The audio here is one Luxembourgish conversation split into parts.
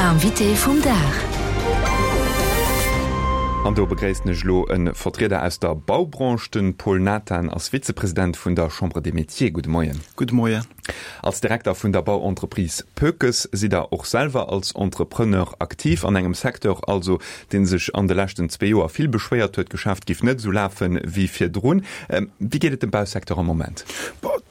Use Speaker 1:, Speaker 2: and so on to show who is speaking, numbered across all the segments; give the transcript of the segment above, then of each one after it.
Speaker 1: L'invité vum Dag.
Speaker 2: An do begréissen ech elo e Vertrieder aus der Baubranche, de Paul Nathan ass Vizepresident vun der Chambre des Métiers. Gudde Moien.
Speaker 3: Gudde Moien.
Speaker 2: Als Direkter vun der Bauentreprise Poekes sidd Der och selwer als Entrepreneur aktiv, an engem Secteur also, dee sech an de leschten zwee Joer vill beschwéiert huet, d'Geschäft giff net esou lafe wéi virdrun. Wéi geet et dem Bausecteur am Moment?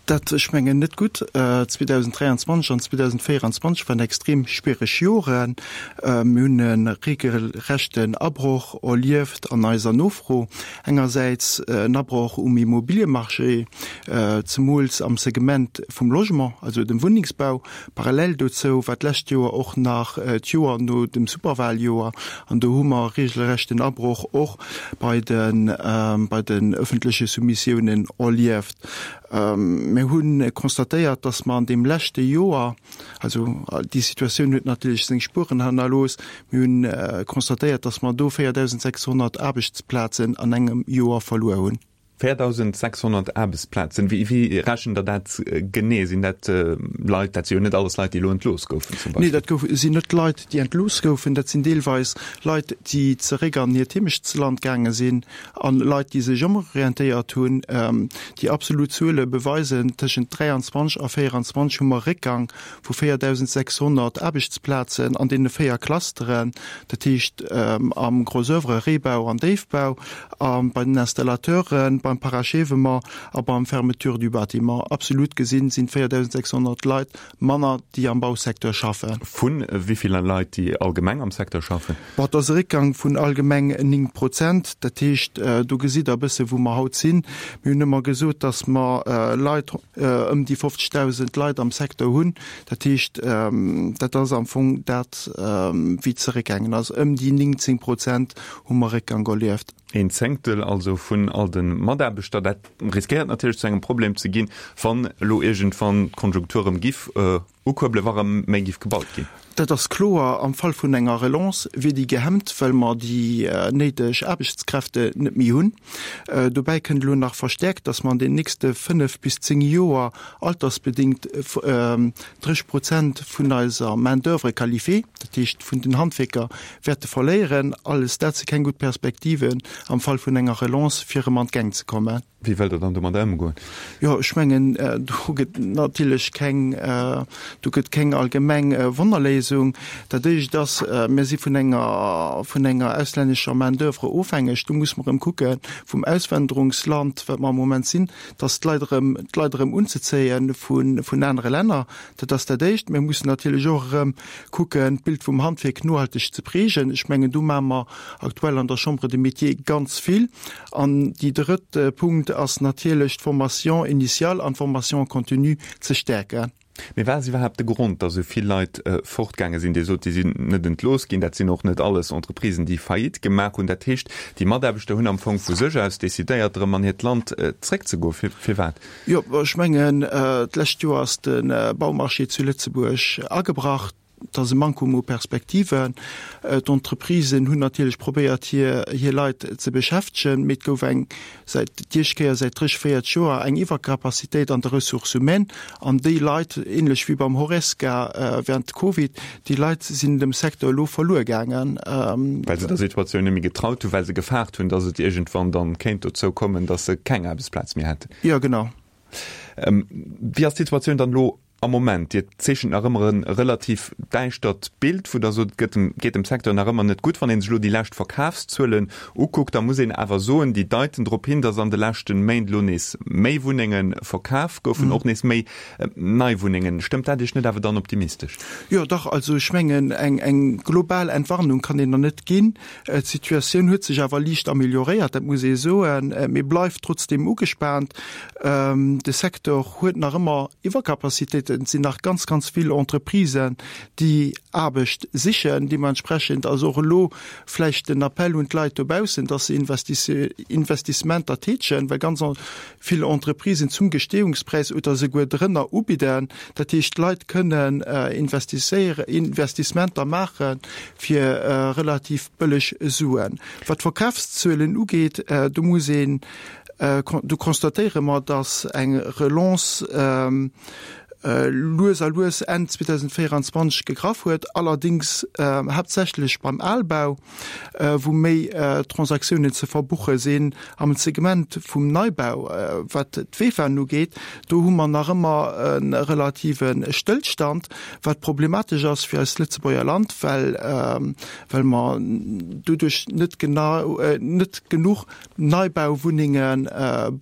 Speaker 3: Dat, ech mengen, net gutt. 2023 an 2024 waren extrem schwiereg Joren. Mir hunn e regelrechten Abroch erlieft an eiser Nofro. Engersäits en Abroch um Immobiliemarché, zemools am Segment vum Logement, also dem Wunnengsbau. Parallel dozou war d'lescht Joer och nach d'Joer no dem Superwahljoer an do hu mer e regelrechten Abroch och bei den öffentleche Soumissiounen erlieft. Mir hu constatéiert, dass mer an deem leschte Joer, also déi Situatioun huet natierlech seng Spueren hannerlooss, mir hu constatéiert, dass mer do 4.600 Aarbechtsplazen an engem Joer verluer hunn.
Speaker 2: 4.600 Aarbechtsplazen, wéi rechent Der dat genee? Sinn dat Leit, dat si jo net alles Leit, déi elo entlooss goufen
Speaker 3: zum Beispill? Nee, dat sinn net Leit, déi entlooss goufen. Dat sinn deelweis Leit, déi zeréck an hiert Heemechtsland gaange sinn an Leit, déi sech ëmorientéiert hunn. Déi absolut Zuele beweisen, tëschent 23 a 24 hu mer e Réckgang vu 4.600 Aarbechtsplazen an deene 4 Clusteren, dat heescht am Gros oeuvre, Réibau an Déifbau, a bei den Installateuren, beim Parachèvement a beim Fermeture du bâtiment. Absolut gesinn sinn 4.600 Leit manner, déi am Bausecteur schaffen.
Speaker 2: Vu wéi ville Leit, déi allgemeng am Secteur schaffen?
Speaker 3: Bon, et ass e Réckgang vun allgemeng 9 Prozent. Dat heescht, do gesitt Der e bësse wou mer haut sinn. Mir hunn ëmmer gesot, datt mer Leit, ëm déi 50.000 Leit am Secteur hunn. Dat heescht, dat ass am Fong dat, wéi et zeréckgaangen ass. Ëm déi 19 Prozent hu mer Réckgang erlieft.
Speaker 2: Een Zéngtel also vun all de Mataarbechter. Dat riskéiert natierlech zu engem Problem ze ginn, wann elo iergendwann d'Konjunktur erëm giff ukuerbelen, wa rëm méi giff gebaut ginn.
Speaker 3: Dat ass kloer, am Fall vun enger Relance wier déi gehemmt, well mer déi néideg Aarbechtskräfte net méi hunn. Dobäi kënnt elo nach verstäerkt, dass mer an den nächste 5 bis 10 Joer altersbedéngt 30 Prozent vun eiser Main d'oeuvre qualifiée, dat heescht vun den Handwierker, wäerte verléieren. Alles dat si keng gutt Perspektiven am Fall vun enger Relance, fir erëm an d'Gäng ze kommen.
Speaker 2: Wéi wëllt Der dann domadder ëmgoen?
Speaker 3: Jo, ech mengen, do gëtt natierlech keng, do gëtt keng allgemeng Wonnerléisung. Dat Éischt ass, mir si vun enger, vun enger auslännescher Main d'oeuvre ofhängeg. Do muss mer erëm kucke vum Auswanderungsland, wat mer am Moment sinn, dass d'Leit erëm, d'Leit erëm unzezéie vun, vun anere Länner. Dat ass dat Éischt. Mir mussen natierlech och erëm kucken, d'Bild vum Handwierk nohalteg ze prägen. Ech mengen, do maache mer aktuell an der Chambre des Métiers ganz vill. An déi drëtt Punkt ass natierlech, d'Formation initiale an d'Formation continue ze stäerken.
Speaker 2: Mee wat ass iwwerhaapt de Grond, datt esou vill Leit fortgaange sinn? Dir sot, déi sinn net entlooss ginn. Dat sinn och net alles Entreprisen, déi Faillite gemaach hunn. Dat heescht, déi Mataarbechter hunn am Fong vu sech aus decidéiert, erëm an hiert Land zréckzegoen. Firwat?
Speaker 3: Jo, ech mengen, d'lescht Joer ass de Baumarché zu Lëtzebuerg agebrach. Et ass e Mankum u Perspektiven. D'Entreprisen hunn natierlech probéiert, hir hir Leit ze beschäftegen, mee et gouf eng, säit d'Iescht Kéier säit 30, 40 Joer, eng Iwwercapacitéit an de Ressources humaines. An déi Leit, ähnlech wéi beim Horesca während Covid, déi Leit sinn dem Secteur elo verluer gaangen.
Speaker 2: Well se der Situatioun net méi getraut hunn, well se gefaart hunn, datt et iergendwann dann kéint dozou kommen, datt se keng Aarbechtsplaz méi hätten.
Speaker 3: Jo, genau.
Speaker 2: Wéi ass d'Situatioun dann elo am Moment? Dir zeechent nach ëmmer e relativ däischtert Bild, wou Der sot, et gëtt dem, geet dem Secteur nach ëmmer net gutt. Wann ee sech elo déi lescht Verkafszuelen ukuckt, da muss een awer soen, déi deiten drop hin, datt an de leschte Méint elo nees méi Wunnenge verkaf goufen, och nees méi nei Wunnengen. Stëmmt dat Iech net awer dann optimistesch?
Speaker 3: Jo, dach. Also ech mengen, eng, eng global Entwarnung kann een der net ginn. D'Situatioun huet sech awer liicht amelioréiert, dat muss ee soen, mee bleift trotzdeem ugespaant. De Secteur huet nach ëmmer Iwwercapacitéiten. Et sinn nach ganz, ganz vill Entreprisen, déi Aarbecht sichen. Deementsprechend ass och elo vläicht den Appell un d'Leit dobaussen, dass se Investissementer tätegen, well ganz vill Entreprisen zum Gestehungspräis oder souguer drënner ubidden. Dat heescht, d'Leit kënnen Investissementer maache fir relativ bëlleg Suen. Wat d'Verkafszuelen ugeet, do muss een, do constatéiere mer, datt eng Relance. lues a lues Enn 2024 gegraff huet, allerdéngs haaptsächlech beim Albau, wou méi Transaktiounen ze verbuche sinn. Am Segment vum Neibau, wat d'VEFAen ugeet, do hu mer nach ëmmer e relative Stëllstand, wat problematesch ass fir eist Lëtzebuerger Land, well well mer doduerch net genau net genuch Neibauwunnenge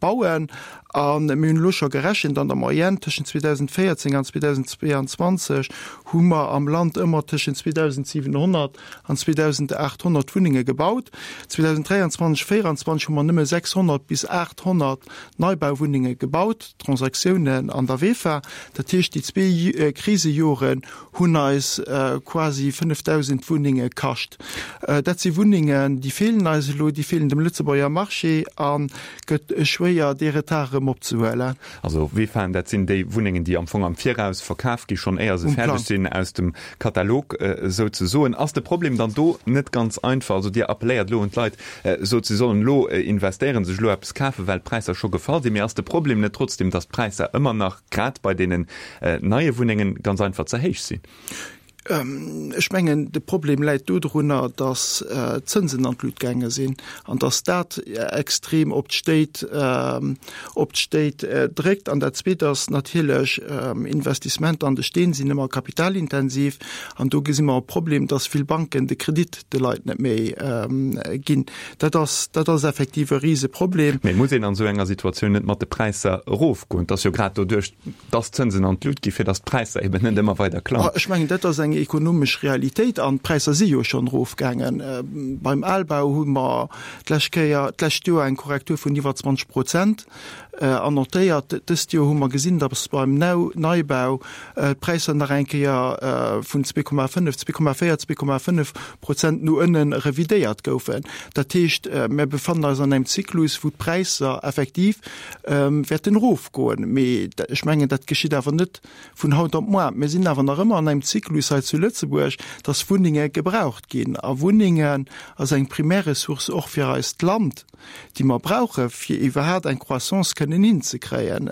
Speaker 3: bauen. A mir hunn elo scho gerechent, an der Moyenne tëschent 2014 an 2022 hu mer am Land ëmmer tëschent 2.700 an 2.800 Wunnenge gebaut. 2023, 2024 hu mer nëmme 600 bis 800 Neibauwunnenge gebaut, Transaktiounen an der VEFA. Dat heescht, déi zwee Krisejoren hunn eis quasi 5.000 Wunnenge kascht. Dat si Wunnengen, déi feelen eis elo, déi feelen dem Lëtzebuerger Marché a gëtt schwéier, dee Retard erëm opzehuelen.
Speaker 2: Also VEFAen, dat sinn déi Wunnengen, déi am Fong am Viraus verkaf gi schonn éier se fäerdeg sinn, aus dem Katalog souzesoen. Ass de Problem dann do net ganz einfach? Also Dir appelléiert elo un d'Leit, sot se sollen elo investéieren, sech elo eppes kafen, well d'Präisser scho gefall sinn. Mee ass de Problem net trotzdem, datt d'Präisser ëmmer nach, grad bei deenen neie Wunnengen, ganz einfach ze héich sinn?
Speaker 3: Ech mengen, de Problem läit dodrunner, datt d'Zënsen an d'Lut gaange sinn an datt dat extrem op d'Stéit, op d'Stéit dréckt. An dat Zweet ass natierlech, Investissementer an de Steen sinn ëmmer kapitalintensiv an do gesi mer e Problem, datt vill Banken de Kredit de Leit net méi ginn. Dat ass, dat ass effektiv e Riseproblem.
Speaker 2: Mee muss een an esou enger Situatioun net mat de Präisser erofgoen? Et ass jo grad doduerch, dass d'Zënsen an d'Lut gi fir dass d'Präisser eben net ëmmer weider klammen.
Speaker 3: Ech mengen, dat ass eng ekonomesch Realitéit an d'Präisser si jo schonn erofgaangen. Beim Albau hu mer d'lescht Kéier, d'lescht Joer eng Korrektur vun iwwer 20 Prozent annotéiert. Dëst Joer hu mer gesinn, dass beim Neibau d'Präisser nach eng Kéier vun 2,5, 2,4, 2,5 Prozent no ënne revidéiert goufen. Dat heescht, mir befannen eis an engem Zyklus, wou d'Präisser effektiv wäerten erofgoen. Mee ech mengen, dat geschitt awer net vun haut op moar. Mir sinn awer nach ëmmer an engem Zyklus hei zu Lëtzebuerg, dass Wunnenge gebraucht ginn. A Wunnengen ass eng primär Ressource och fir eist Land, déi mer brauche fir iwwerhaapt eng Croissance kënnen hinzekréien.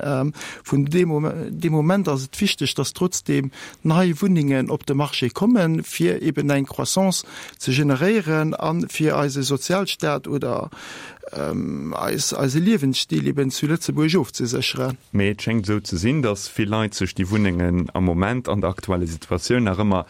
Speaker 3: Vun deem Moment ass et wichteg, dass trotzdeem nei Wunnengen op de Marché kommen, fir eben eng Croissance ze generéieren a fir eise Sozialstaat oder eis eise Liewensstil eben zu Lëtzebuerg ofzesécheren.
Speaker 2: Mee et schéngt esou ze sinn, datt vill Leit sech déi Wunnengen am Moment an der aktuelle Situatioun nach ëmmer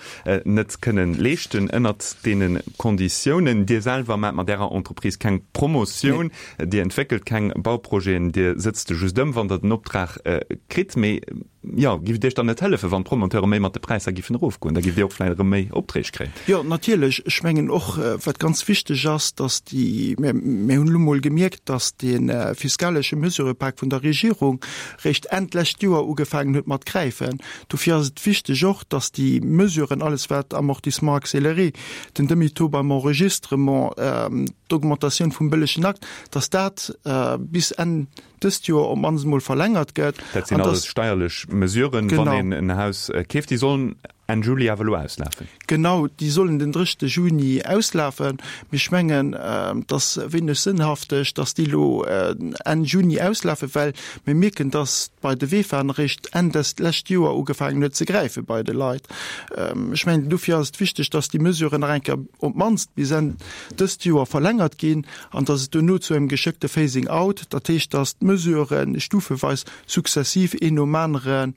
Speaker 2: net kënnen leeschten ënnert deene Konditiounen. Dir selwer maacht mat Ärer Entreprise keng Promotioun, Dir entwéckelt keng Bauprojeten, Dir sëtzt se just ëm, wann Der den Optrag kritt. Mee Jo, giff et Iech dann net hëllefen, wann d'Promoteure méi mat de Präisser giffen erofgoen? Da gifft Dir och vläicht erëm méi Opträg kréien.
Speaker 3: Jo, natierlech. Ech mengen och, wat ganz wichteg ass, dass déi, mir, mir hunn elo mol gemierkt, dass dee fiskalesche Mesurëpak vun der Regierung réischt Enn d'lescht Joer ugefaangen huet mat gräifen. Dofir ass et wichteg och, dass déi Mesuren, alles wat Amortissement accéléré, den Demi-taux beim Enregistrement, d'Augmentatioun vum bëllegen Akt, dass dat bis Enn dëst Joer op d'mannst emol verlängert gëtt.
Speaker 2: Dat sinn alles steierlech Mesuren, wann een en Haus keeft. Déi sollen Enn Juli awer elo auslafen.
Speaker 3: Genau, déi sollen den 30. Juni auslafen. Mee ech mengen, et ass wéineg sënnhafteg, datt déi elo Enn Juni auslafen, well mir mierken, datt bei de VEFAen eréischt Enn dest lescht Joer ugefaangen huet ze gräife bei de Leit. Ech mengen, dofir ass et wichteg, datt déi Mesuren nach eng Kéier op d'mannst bis Enn dëst Joer verlängert ginn. an dass et duerno zu engem geschéckte Phasing out, dat heescht, dass d'Mesurë stufeweis sukzessiv een nom anere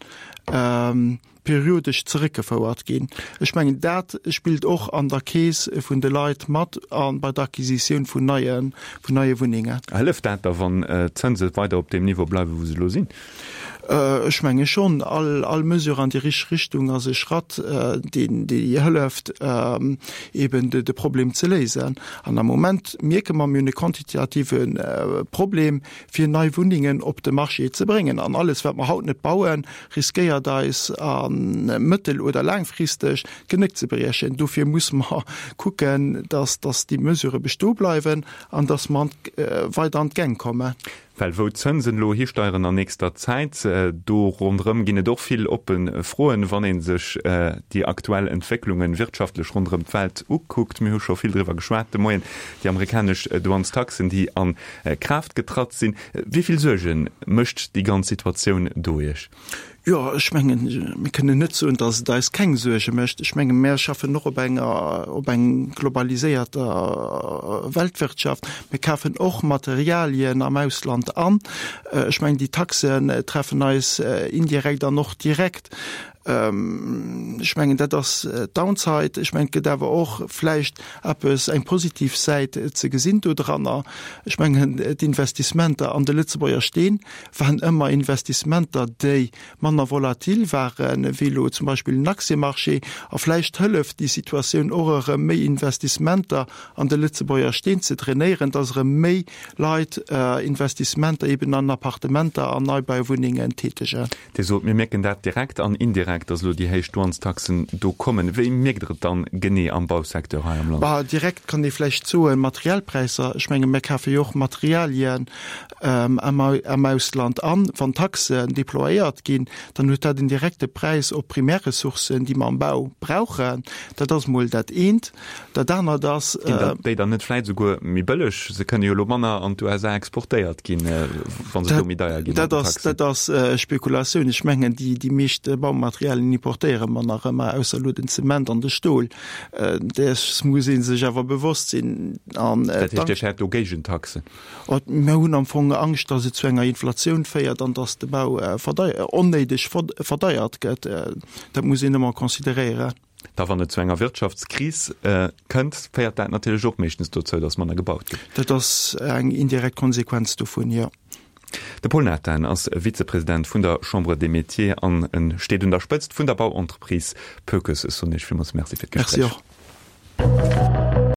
Speaker 3: periodesch zeréckgefouert ginn. Ech mengen, dat spillt och an der Keess vun de Leit mat a bei der Acquisitioun vun neie, vun neie Wunnengen.
Speaker 2: Hëlleft dat da, wann d'Zënse weider op deem Niveau bleiwen, wou se elo sinn?
Speaker 3: Ech menge schonn, all Mesure an déi richteg Richtung ass e Schratt, deen hëlleft, eben de Problem ze léisen. An am Moment mierke mer, mir hunn e quantitative Problem, fir nei Wunnengen op de Marché ze bréngen. An alles, wat mer haut net bauen, riskéiert eis a mëttel oder laangfristeg d'Genéck ze briechen. Dofir musse mer kucken, dass déi Mesurë bestoe bleiwen an dass mer weider an d'Gäng kommen.
Speaker 2: Well wou d'Zënsen elo histeieren an nächster Zäit, do ronderëm ginn et och vill oppe Froen, wann ee sech déi aktuell Entwécklungen wirtschaftlech ronderëm d'Welt ukuckt. Mir hu scho vill driwwer geschwat de Moien, déi amerikanesch Douanestaxen, déi a Kraaft getratt sinn. Wéi vill Suerge mécht déi ganz Situatioun do Iech?
Speaker 3: Jo, ech mengen, mir kënnen net soen, datt et eis keng Suerge mécht. Ech menge mir schaffen och op enger, op eng globaliséierter Weltwirtschaft. Mir kafen och Materialien am Ausland an. Ech mengen, déi Taxen treffen eis indirekt an och direkt. Ech mengen, dat ass d'Downside. Ech mengen, et gëtt awer och vläicht eppes, eng positiv Säit ze gesinn dodranner. Ech mengen, d'Investissementer an de Lëtzebuerger Steen waren ëmmer Investissementer, déi manner volatil waren, wéi elo zum Beispill den Aktiëmarché. A vläicht hëlleft déi Situatioun och erëm, méi Investissementer an de Lëtzebuerger Steen ze drainéieren, dass erëm méi Leit Investissementer eben an Appartementer an Neibauwunnengen tätegen.
Speaker 2: Dir sot, mir mierken dat direkt an indirekt, dass elo déi héich Douanestaxen do kommen. Wéi mierkt Der et dann genee am Bausecteur hei am Land?
Speaker 3: Bah, direkt kann ee vläicht soen, Materialpräisser. Ech menge mir kafe jo och Materialien am Ausland an. Wann Taxen déployéiert ginn, dann huet dat en direkte Präis op Primärressourcen, déi mer am Bau brauchen. Dat ass emol dat eent. Dat anert ass.
Speaker 2: Ginn dann déi dann net vläit esouguer méi bëlleg? Se kënne jo elo manner an d'USA exportéiert ginn, wa se do méi deier ginn
Speaker 3: mat den Taxen. Dat ass Spekulatioun. Ech mengen, déi meescht Baumaterialien importéiere mer nach ëmmer, ausser elo den Zement an de Stol. Däers muss ee sech awer bewosst sinn.
Speaker 2: Dat heescht, Dir fäert do Géigentaxen?
Speaker 3: Mir hunn am Fong Angscht, datt et zu enger Inflatioun féiert an datt de Bau onnéideg verdeiert gëtt. Dat muss een ëmmer consideréieren.
Speaker 2: Da wann et zu enger Wirtschaftskris kënnt, féiert dat natierlech och meeschtens dozou, datt manner gebaut gëtt.
Speaker 3: Dat ass eng indirekt Konsequenz dovun, jo.
Speaker 2: De Paul Nathan ass Vizepresident vun der Chambre des Métiers an e steet un der Spëtzt vun der Bauentreprise Pökes. Ech soen Iech villmools Merci fir d'Gespréich.
Speaker 3: Merci och.